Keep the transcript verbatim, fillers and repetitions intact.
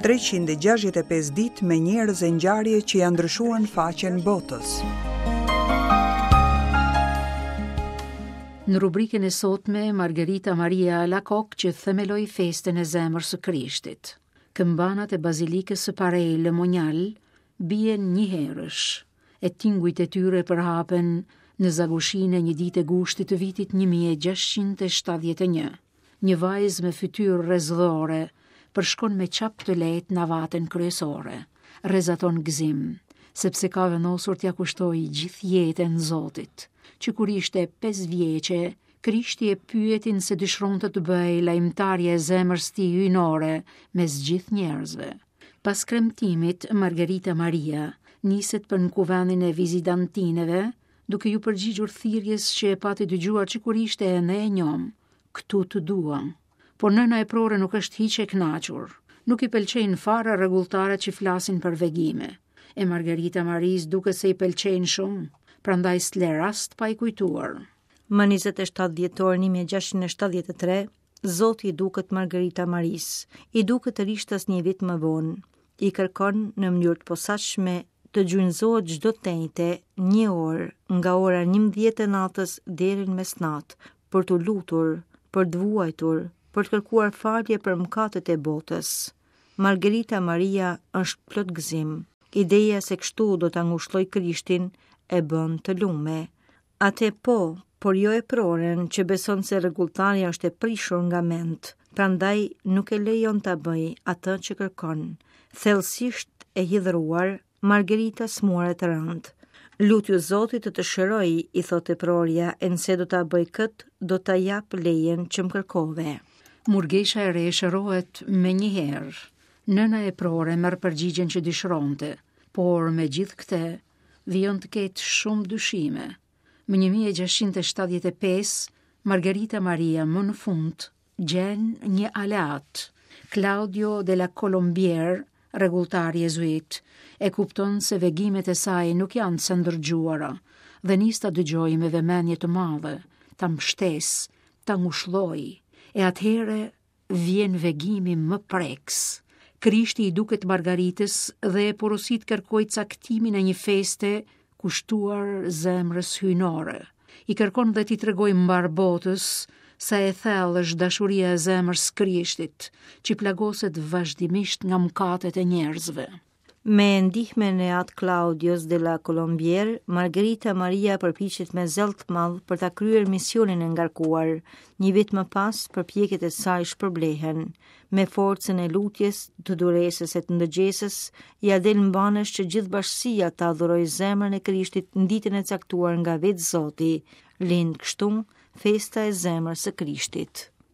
treqind e gjashtëdhjetë e pesë ditë me njerëz e ngjarje që janë ndryshuar në faqen botës. Në rubrikën e sotme, Margarita Maria Alacoque që themeloi festën e zemrës së Krishtit. Këmbanat e bazilikës së Paray-le-Monial bien njëherësh, e tingujt e tyre përhapen në zagushinë e një ditë gushtit të vitit një mijë e gjashtëqind e shtatëdhjetë e një. Një vajzë me fytyrë rrezdhore përshkon me çap të lehtë navatën kryesore. Rrezaton gëzim, sepse ka vendosur t'ia kushtojë gjithë jetën Zotit. Që kur ishte pesë vjeçe, Krishti e pyeti se dëshironte të bëhej lajmëtarja e zemrës tij hyjnore mes gjithë njerëzve. Pas kremtimit, Margarita Maria niset për në kuvendin e vizitantineve, duke ju përgjigjur thirrjes që e pati dëgjuar që kur ishte ende e njom, këtu të dua. Por nëna e prore nuk është hiç e kënaqur. Nuk i pëlqejnë fare rregulltarët që flasin për vegime. E Margarita Marisë duket se i pëlqejnë shumë, prandaj s'le rast pa i kujtuar. Më njëzet e shtatë dhjetor një mijë e gjashtëqind e shtatëdhjetë e tre, Zoti i duket Margarita Marisë, i duket rishtas një vit më vonë. I kërkon në mënyrë të posaçme të gjunjëzohet çdo tejte një orë nga ora njëmbëdhjetë e natës deri në mesnatë për t'u lutur, për të vuajtur, për të kërkuar falje për mëkatet e botës. Margarita Maria është plot gëzim. Ideja se kështu do ta ngushlloj Krishtin e bën të lume. Ate po, por jo e proren që beson se rregulltarja është e prishur nga mend, prandaj nuk e lejon ta bëj atë që kërkon. Thellësisht e hidhruar, Margarita smuaret rënd. Lutju Zotit të të shëroj, i thotë prorja, e nëse do ta bëj kët, do ta jap lejen që më kërkove. Murgesha e re shërohet me një herë. Nëna e prore merr përgjigjen që dëshironte, por me gjithë këtë vijon të ketë shumë dyshime. Më një mijë e gjashtëqind e shtatëdhjetë e pesë, Margarita Maria më në fund gjen një aleat, Claudio de la Colombière, rregulltar jezuit, e kupton se vegimet e saj nuk janë të ndërgjuara dhe nis ta dëgjojë me vëmendje të madhe, ta mbështes, ta ngushlloj, e atëherë vjen vegimi më preks. Krishti i duket Margaritës dhe e porosit kërkoi caktimin e një feste kushtuar zemrës hyjnore. I kërkon dhe t'i tregoj mbar botës sa e thellë është dashuria e zemrës Krishtit, që plagoset vazhdimisht nga mëkatet e njerëzve. Me ndihmën e At Claudios de la Colombière, Margarita Maria përpiqet me zell të madh për ta kryer misionin e ngarkuar. Një vit më pas, përpjekjet e saj shpërblehen. Me forcën e lutjes, të duresës e të ndëgjesës, ia del mbanësh që gjithë bashkësia ta adhurojë zemrën e Krishtit në ditën e caktuar nga vetë Zoti. Lind kështu festa e zemrës së Krishtit.